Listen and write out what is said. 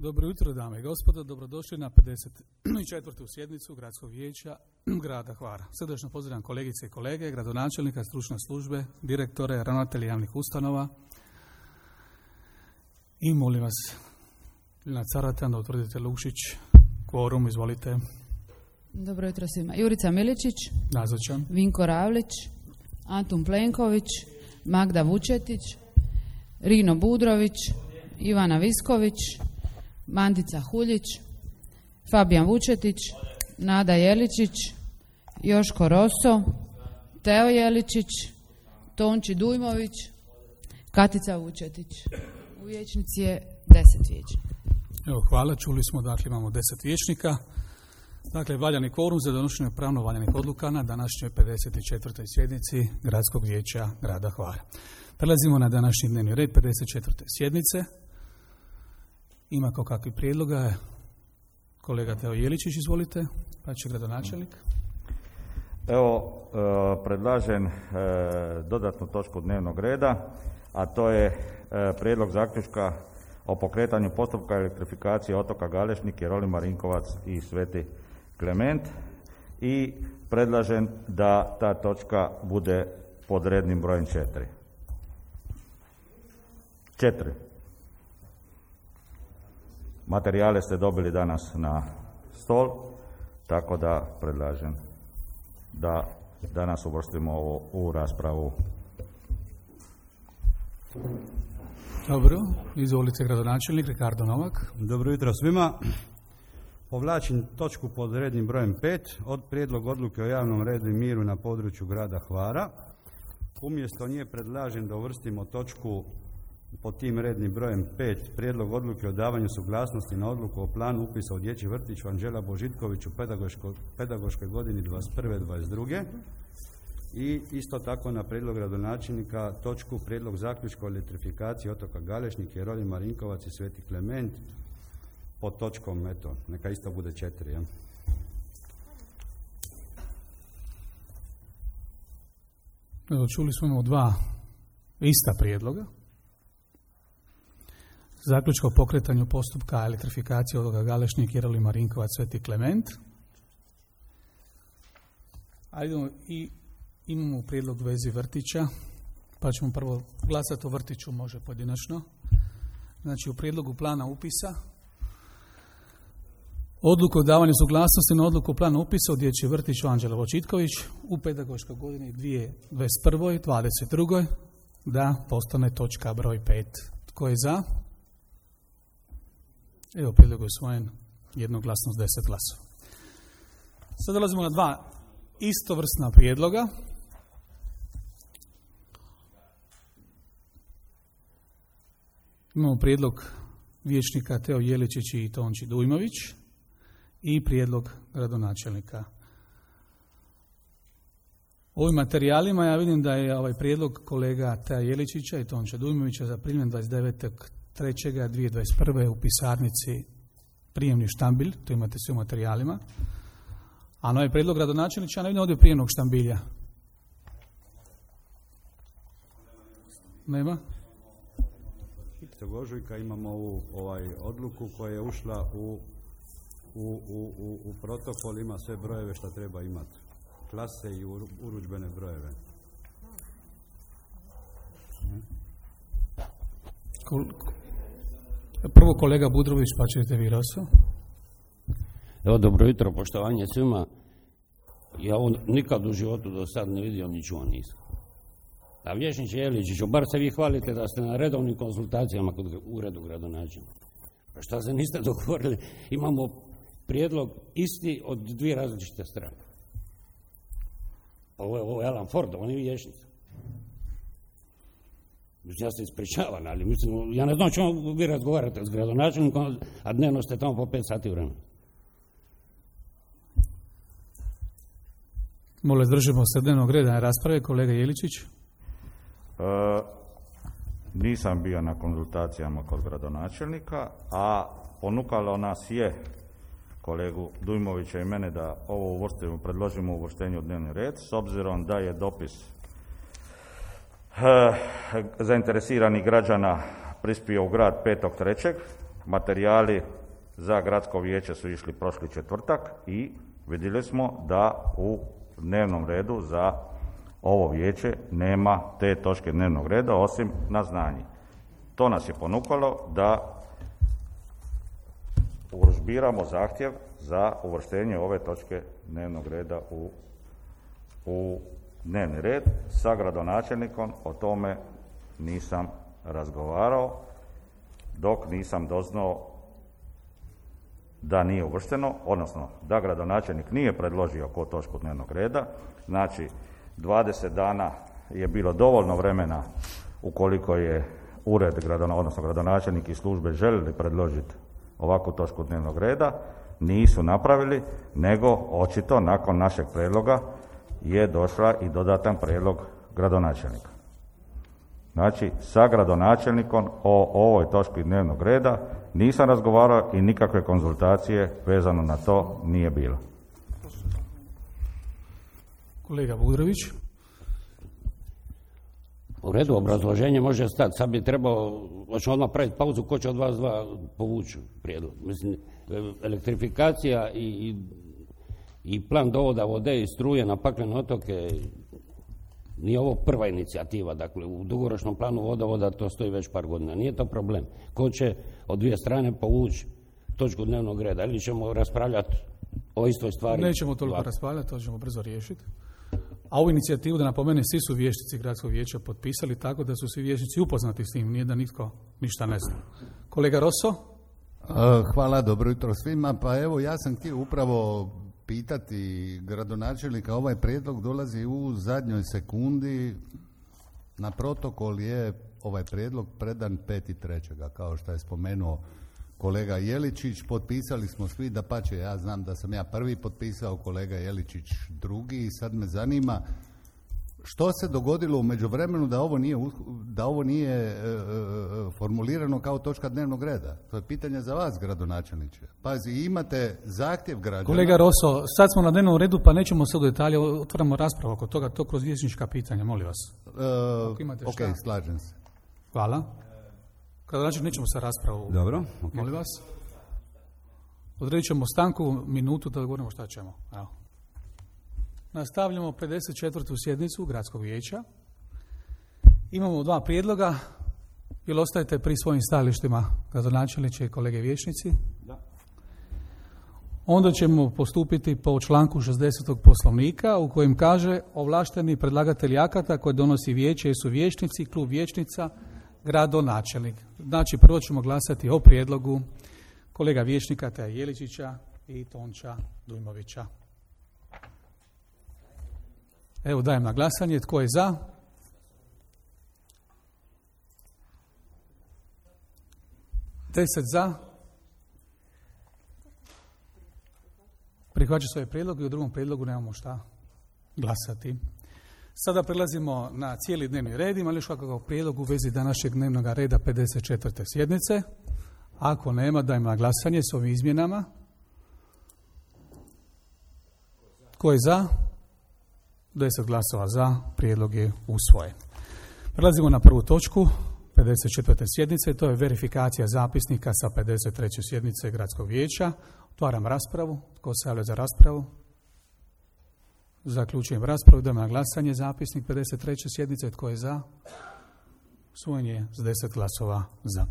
Dobro jutro, dame i gospodo, dobrodošli na 54. sjednicu Gradskog vijeća grada Hvara. Srdačno pozdravljam kolegice i kolege, gradonačelnika, stručne službe, direktore, ravnatelje javnih ustanova i molim vas, Lina Caratan, da utvrdite Lukšić, kvorum, izvolite. Dobro jutro svima. Jurica Miličić, nazočan. Vinko Ravlić, Antun Plenković, Magda Vučetić, Rino Budrović, Ivana Visković, Mandica Huljić, Fabijan Vučetić, Nada Jeličić, Joško Roso, Teo Jeličić, Tonči Dujmović, Katica Vučetić. U vijećnici je 10 vijećnika. Evo, hvala, čuli smo, dakle imamo 10 vijećnika. Dakle, valjani kvorum za donošenje pravno valjanih odluka na današnjoj 54. sjednici Gradskog vijeća grada Hvara. Prelazimo na današnji dnevni red 54. sjednice. Ima kao kakvi prijedloga? Kolega Teo Jeličić, izvolite, pa će gradonačelnik. Evo, predlažem dodatnu točku dnevnog reda, a to je prijedlog zaključka o pokretanju postupka elektrifikacije otoka Galešnik, Jeroli Marinkovac i Sveti Klement i predlažem da ta točka bude pod rednim brojem 4. Materijale ste dobili danas na stol, tako da predlažem da danas uvrstimo ovo u raspravu. Dobro, izvolite gradonačelnik Ricardo Novak. Dobro jutro svima. Povlačim točku pod rednim brojem 5 od prijedlog odluke o javnom redu i miru na području grada Hvara. Umjesto nje predlažem da uvrstimo točku pod tim rednim brojem 5 prijedlog odluke o davanju suglasnosti na odluku o planu upisa u dječji vrtić Anđela Božitković u pedagoškoj godini 21-22. I isto tako na prijedlog gradonačelnika točku prijedlog zaključka o elektrifikaciji otoka Galešnik, Jeroli Marinkovac i Sveti Klement pod točkom, eto, neka isto bude 4. Ja? Evo, čuli smo imamo 2 ista prijedloga. Zaključka o pokretanju postupka elektrifikacije otoka Galešnik, Jeroli Marinkovac, Sveti Klement. A imamo prijedlog u vezi vrtića, pa ćemo prvo glasati o vrtiću, može pojedinačno. Znači, u prijedlogu plana upisa odluku o davanju suglasnosti na odluku plana upisa u dječji vrtić Anđela Božitković u pedagoškoj godini 2021-2022 da postane točka broj 5. Tko je za? Evo, prijedlog je usvojen jednoglasno s 10 glasova. Sad dolazimo na 2 istovrsna prijedloga. Imamo prijedlog vijećnika Teo Jeličić i Tonči Dujmović i prijedlog gradonačelnika. U ovim materijalima ja vidim da je ovaj prijedlog kolega Tea Jeličića i Tonča Dujmovića zaprimljen 29.3.2021. u pisarnici prijemni štambilj, to imate sve u materijalima. A na ovaj prijedlog gradonačelnića ne vidim ovdje prijemnog štambilja. Nema? Ožujka imamo ovu odluku koja je ušla u protokol, ima sve brojeve što treba imati. Klase i urudžbene brojeve. Prvo kolega Budrović, pa ćete vi, Roso. Evo, dobro jutro, poštovanje svima. Ja ovo nikad u životu do sad ne vidio ni čuo nisam. A vijećniče Jeličiću, bar se vi hvalite da ste na redovnim konsultacijama kod uredu gradonačelnika. Pa šta se niste dogovorili? Imamo prijedlog isti od 2 različite strane. Ovo je Alan Ford, on je vijećnica. Mislim, ja se ispričavam, ali mislim, ja ne znam čemu vi razgovarate s gradonačelnikom, a dnevno ste tamo po 5 sati vremena. Molim, držimo se dnevnog reda na rasprave. Kolega Jeličić. Nisam bio na konzultacijama kod gradonačelnika, a ponukalo nas je kolegu Dujmovića i mene da ovo uvrstimo, predložimo uvrštenje u dnevni red, s obzirom da je dopis zainteresiranih građana prispio u grad 5.3. materijali za gradsko vijeće su išli prošli četvrtak i vidjeli smo da u dnevnom redu za ovo vijeće nema te točke dnevnog reda osim na znanje. To nas je ponukalo da urudžbiramo zahtjev za uvrštenje ove točke dnevnog reda u dnevni red. Sa gradonačelnikom o tome nisam razgovarao dok nisam doznao da nije uvršteno, odnosno da gradonačelnik nije predložio ko točku dnevnog reda. Znači 20 dana je bilo dovoljno vremena ukoliko je ured, odnosno gradonačelnik i službe željeli predložiti ovakvu točku dnevnog reda, nisu napravili, nego očito nakon našeg prijedloga je došla i dodatan prijedlog gradonačelnika. Znači, sa gradonačelnikom o ovoj točki dnevnog reda nisam razgovarao i nikakve konzultacije vezano na to nije bilo. Kolega Budrović. U redu, obrazloženje može stati. Sad bi trebao, hoćemo odmah praviti pauzu, ko će od vas dva povući prijedlog. Mislim, elektrifikacija i plan dovoda vode i struje na paklene otoke, nije ovo prva inicijativa. Dakle, u dugoročnom planu vodovoda to stoji već par godina. Nije to problem. Ko će od dvije strane povući točku dnevnog reda? Ili ćemo raspravljati o istoj stvari? Nećemo toliko raspravljati, to ćemo brzo riješiti. A ovu inicijativu, da napomene, svi su vijećnici gradskog vijeća potpisali, tako da su svi vijećnici upoznati s tim, nije da nitko ništa ne zna. Kolega Rosso? Hvala, dobro jutro svima. Pa evo, ja sam htio upravo pitati gradonačelnika, ovaj prijedlog dolazi u zadnjoj sekundi, na protokol je ovaj prijedlog predan 5.3. kao što je spomenuo kolega Jeličić, potpisali smo svi, dapače, ja znam da sam ja prvi potpisao, kolega Jeličić drugi, i sad me zanima što se dogodilo u međuvremenu da ovo nije formulirano kao točka dnevnog reda. To je pitanje za vas, gradonačelniče. Pazi, imate zahtjev građana. Kolega Rosso, sad smo na dnevnom redu, pa nećemo sad u detalje, otvaramo raspravu oko toga, to kroz vijećnička pitanja, molim vas. Ok, slažem se. Hvala. Gradonačelnik, nećemo sa raspravu. Dobro. Okay. Molim vas. Odredit ćemo stanku, minutu, da govorimo šta ćemo. Evo. Nastavljamo 54. sjednicu Gradskog vijeća. Imamo dva prijedloga. Jel ostajete pri svojim stajalištima, gradonačelniče i kolege vijećnici? Da. Onda ćemo postupiti po članku 60. Poslovnika u kojem kaže ovlašteni predlagatelji akata koje donosi vijeće su vijećnici, klub vijećnica, gradonačelnik. Znači, prvo ćemo glasati o prijedlogu kolega vijećnika Teja Jeličića i Tonča Dujmovića. Evo, dajem na glasanje. Tko je za? Deset za. Prihvaća svoj prijedlog i u drugom prijedlogu nemamo šta glasati. Sada prelazimo na cijeli dnevni red. Ima li još kakav prijedlog u vezi današnjeg dnevnog reda 54. sjednice? Ako nema, dajem na glasanje s ovim izmjenama. Tko je za? 10 glasova za, prijedlog je usvojen. Prelazimo na prvu točku 54. sjednice, to je verifikacija zapisnika sa 53. sjednice Gradskog vijeća. Otvaram raspravu. Tko se javlja za raspravu? Zaključujem raspravu. Idemo na glasanje. Zapisnik 53. sjednice. Tko je za? Usvojen je s 10 glasova za.